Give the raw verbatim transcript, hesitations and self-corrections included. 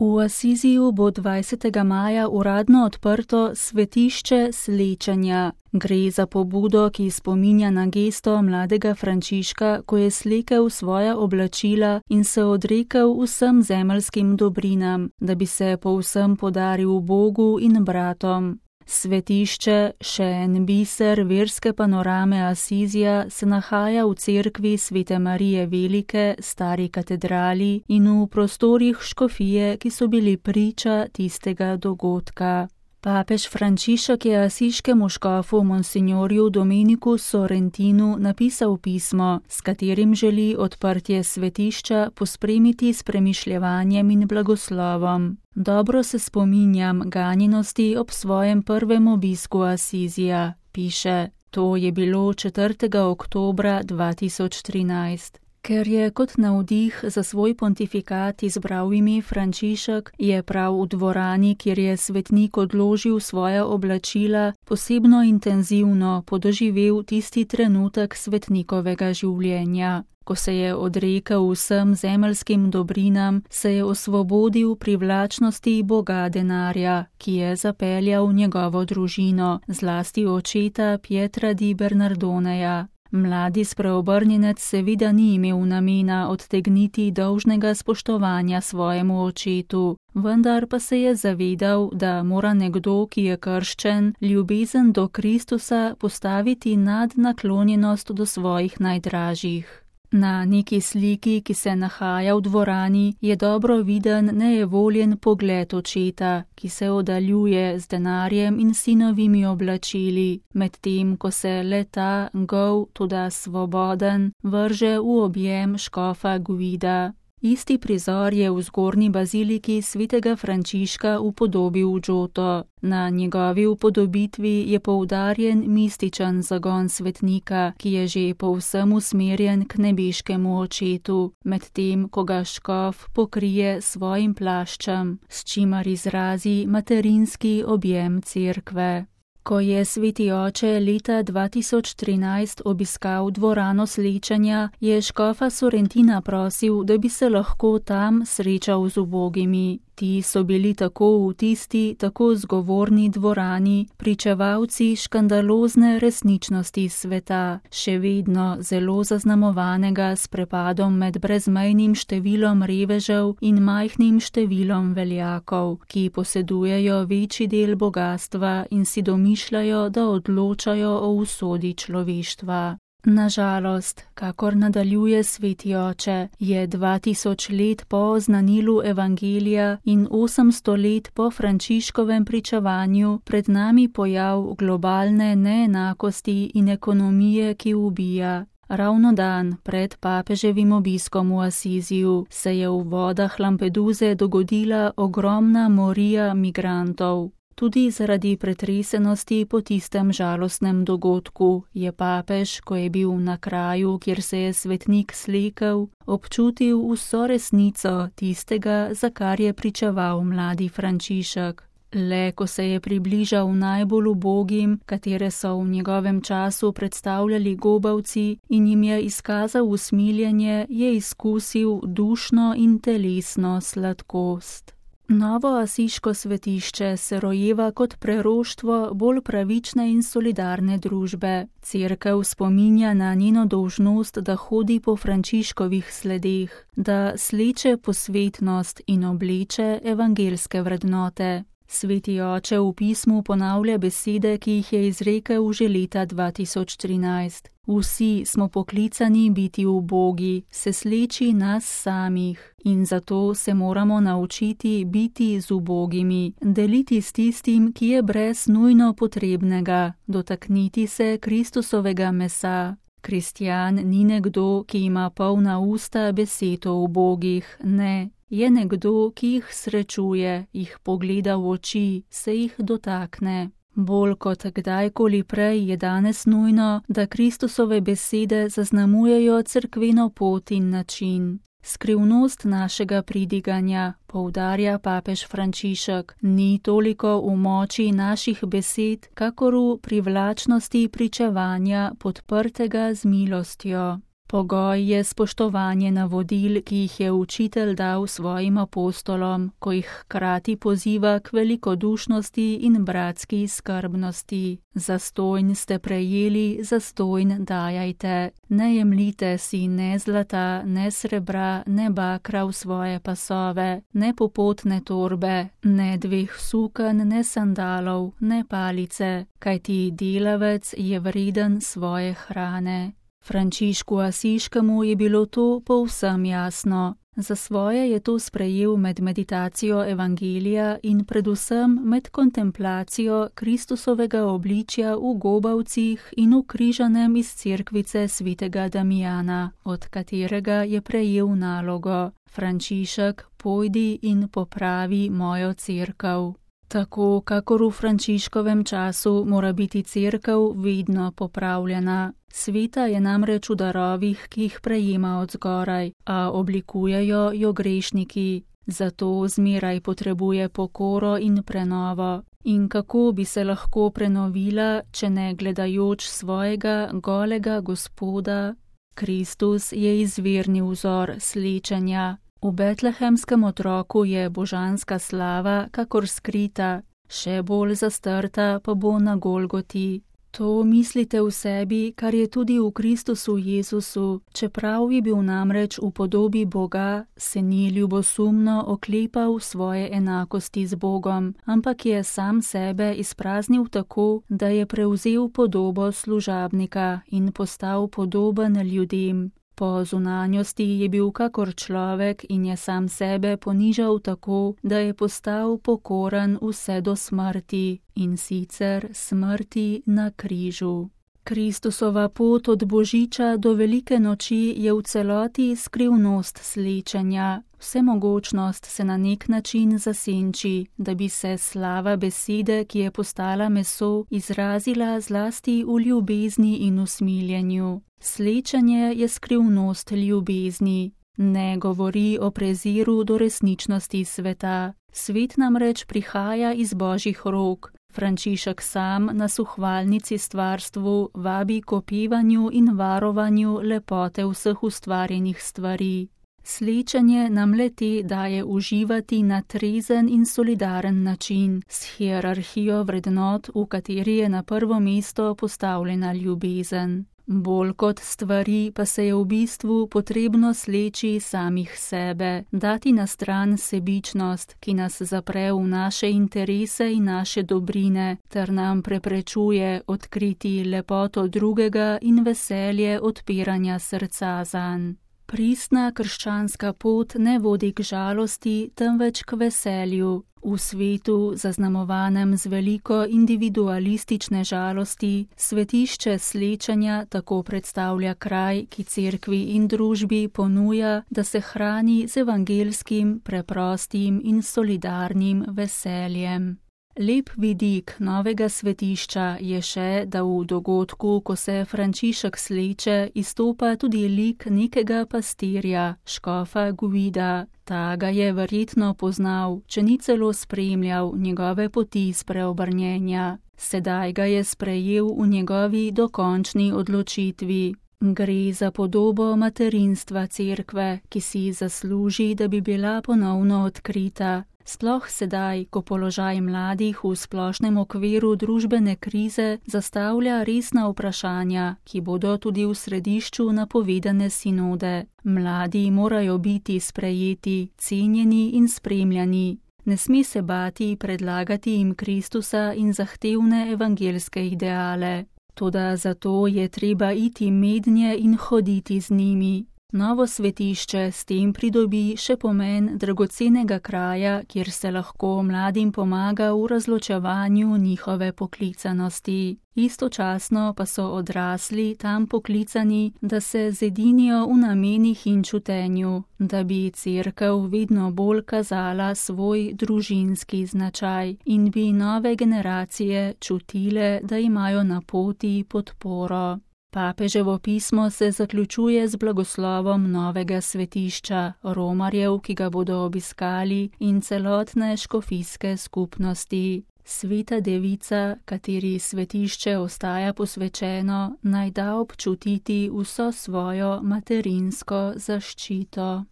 V Asiziju bo dvajsetega maja uradno odprto svetišče slečenja. Gre za pobudo, ki spominja na gesto mladega Frančiška, ko je slekel svoja oblačila in se odrekel vsem zemeljskim dobrinam, da bi se povsem podaril Bogu in bratom. Svetišče, še en biser verske panorame Asizija, se nahaja v cerkvi Svete Marije Velike, stari katedrali in v prostorih škofije, ki so bili priča tistega dogodka. Papež Frančišek je asiškemu škofu monsignorju Domeniku Sorrentinu napisal pismo, s katerim želi odprtje svetišča pospremiti s premišljevanjem in blagoslovom. Dobro se spominjam ganjenosti ob svojem prvem obisku Asizija, piše. To je bilo četrtega oktobra dva tisoč trinajst. Ker je kot navdih za svoj pontifikat izbral ime Frančišek, je prav v dvorani, kjer je svetnik odložil svoja oblačila, posebno intenzivno podoživel tisti trenutek svetnikovega življenja. Ko se je odrekel vsem zemeljskim dobrinam, se je osvobodil privlačnosti boga denarja, ki je zapeljal njegovo družino, zlasti očeta Pietra di Bernardoneja. Mladi spreobrnjenec seveda ni imel namena odtegniti dolžnega spoštovanja svojemu očetu, vendar pa se je zavedal, da mora nekdo, ki je krščen, ljubezen do Kristusa postaviti nad naklonjenost do svojih najdražjih. Na neki sliki, ki se nahaja v dvorani, je dobro viden nejevoljen pogled očeta, ki se oddaljuje z denarjem in sinovimi oblačili, medtem ko se le-ta, gol, toda svoboden, vrže v objem škofa Guida. Isti prizor je v zgornji baziliki svetega Frančiška upodobil Giotto. Na njegovi upodobitvi je poudarjen mističen zagon svetnika, ki je že povsem usmerjen k nebeškemu očetu, medtem ko ga škof pokrije svojim plaščem, s čimer izrazi materinski objem cerkve. Ko je sveti oče leta dva tisoč trinajst obiskal dvorano slečenja, je škofa Sorrentina prosil, da bi se lahko tam srečal z ubogimi. Ti so bili tako v tisti, tako zgovorni dvorani, pričevalci škandalozne resničnosti sveta, še vedno zelo zaznamovanega s prepadom med brezmejnim številom revežev in majhnim številom veljakov, ki posedujejo večji del bogastva in si domišljajo, da odločajo o usodi človeštva. Nažalost, kakor nadaljuje sveti oče, je dva tisoč let po oznanilu evangelija in osemsto let po Frančiškovem pričevanju pred nami pojav globalne neenakosti in ekonomije, ki ubija. Ravno dan pred papeževim obiskom v Asiziju se je v vodah Lampeduze dogodila ogromna morija migrantov. Tudi zaradi pretresenosti po tistem žalostnem dogodku je papež, ko je bil na kraju, kjer se je svetnik slekel, občutil vso resnico tistega, za kar je pričeval mladi Frančišek. Le ko se je približal najbolj ubogim, katere so v njegovem času predstavljali gobavci, in jim je izkazal usmiljenje, je izkusil dušno in telesno sladkost. Novo asiško svetišče se rojeva kot preroštvo bolj pravične in solidarne družbe. Cerkev spominja na njeno dolžnost, da hodi po Frančiškovih sledeh, da sleče posvetnost in obleče evangelske vrednote. Sveti oče v pismu ponavlja besede, ki jih je izrekel že leta dva tisoč trinajst. Vsi smo poklicani biti ubogi, se sleči nas samih in zato se moramo naučiti biti z ubogimi, deliti s tistim, ki je brez nujno potrebnega, dotakniti se Kristusovega mesa. Kristjan ni nekdo, ki ima polna usta besed o ubogih, ne. Je nekdo, ki jih srečuje, jih pogleda v oči, se jih dotakne. Bolj kot kdajkoli prej je danes nujno, da Kristusove besede zaznamujejo cerkveno pot in način. Skrivnost našega pridiganja, poudarja papež Frančišek, ni toliko v moči naših besed, kakor v privlačnosti pričevanja podprtega z milostjo. Pogoj je spoštovanje navodil, ki jih je učitelj dal svojim apostolom, ko jih hkrati poziva k velikodušnosti in bratski skrbnosti. Zastojn ste prejeli, zastojn dajajte. Ne jemljite si ne zlata, ne srebra, ne bakra v svoje pasove, ne popotne torbe, ne dveh suken, ne sandalov, ne palice, kajti delavec je vreden svoje hrane. Frančišku Asiškemu je bilo to povsem jasno. Za svoje je to sprejel med meditacijo evangelija in predvsem med kontemplacijo Kristusovega obličja v gobavcih in v križanem iz cerkvice svetega Damijana, od katerega je prejel nalogo: Frančišek, pojdi in popravi mojo cerkev. Tako, kakor v Frančiškovem času mora biti cerkev vedno popravljena. Sveta je namreč v darovih, ki jih prejema od zgoraj, a oblikujejo jo grešniki. Zato zmeraj potrebuje pokoro in prenovo. In kako bi se lahko prenovila, če ne gledajoč svojega golega Gospoda? Kristus je izvirni vzor slečenja. V betlehemskem otroku je božanska slava kakor skrita, še bolj zastrta pa bo na Golgoti. To mislite v sebi, kar je tudi v Kristusu Jezusu, čeprav je bil namreč v podobi Boga, se ni ljubosumno oklepal svoje enakosti z Bogom, ampak je sam sebe izpraznil tako, da je prevzel podobo služabnika in postal podoben ljudem. Po zunanjosti je bil kakor človek in je sam sebe ponižal tako, da je postal pokoren vse do smrti, in sicer smrti na križu. Kristusova pot od Božiča do Velike noči je v celoti skrivnost slečenja. Vsemogočnost se na nek način zasenči, da bi se slava besede, ki je postala meso, izrazila zlasti v ljubezni in usmiljenju. Slečenje je skrivnost ljubezni. Ne govori o preziru do resničnosti sveta. Svet namreč prihaja iz Božjih rok. Frančišek sam nas v hvalnici stvarstvu vabi k opevanju in varovanju lepote vseh ustvarjenih stvari. Slečenje nam le-te daje uživati na trezen in solidaren način, s hierarhijo vrednot, v kateri je na prvo mesto postavljena ljubezen. Bolj kot stvari pa se je v bistvu potrebno sleči samih sebe, dati na stran sebičnost, ki nas zapre v naše interese in naše dobrine, ter nam preprečuje odkriti lepoto drugega in veselje odpiranja srca zanj. Pristna krščanska pot ne vodi k žalosti, temveč k veselju. V svetu, zaznamovanem z veliko individualistične žalosti, svetišče slečenja tako predstavlja kraj, ki cerkvi in družbi ponuja, da se hrani z evangelskim, preprostim in solidarnim veseljem. Lep vidik novega svetišča je še, da v dogodku, ko se Frančišek sleče, izstopa tudi lik nekega pastirja, škofa Guida. Ta ga je verjetno poznal, če ni celo spremljal njegove poti spreobrnjenja. Sedaj ga je sprejel v njegovi dokončni odločitvi. Gre za podobo materinstva cerkve, ki si zasluži, da bi bila ponovno odkrita. Sploh sedaj, ko položaj mladih v splošnem okviru družbene krize zastavlja resna vprašanja, ki bodo tudi v središču napovedane sinode. Mladi morajo biti sprejeti, cenjeni in spremljani. Ne sme se bati predlagati jim Kristusa in zahtevne evangelske ideale. Toda zato je treba iti mednje in hoditi z njimi. Novo svetišče s tem pridobi še pomen dragocenega kraja, kjer se lahko mladim pomaga v razločevanju njihove poklicanosti. Istočasno pa so odrasli tam poklicani, da se zedinijo v namenih in čutenju, da bi cerkev vedno bolj kazala svoj družinski značaj in bi nove generacije čutile, da imajo na poti podporo. Papeževo pismo se zaključuje z blagoslovom novega svetišča, romarjev, ki ga bodo obiskali, in celotne škofijske skupnosti. Sveta Devica, kateri svetišče ostaja posvečeno, naj da občutiti vso svojo materinsko zaščito.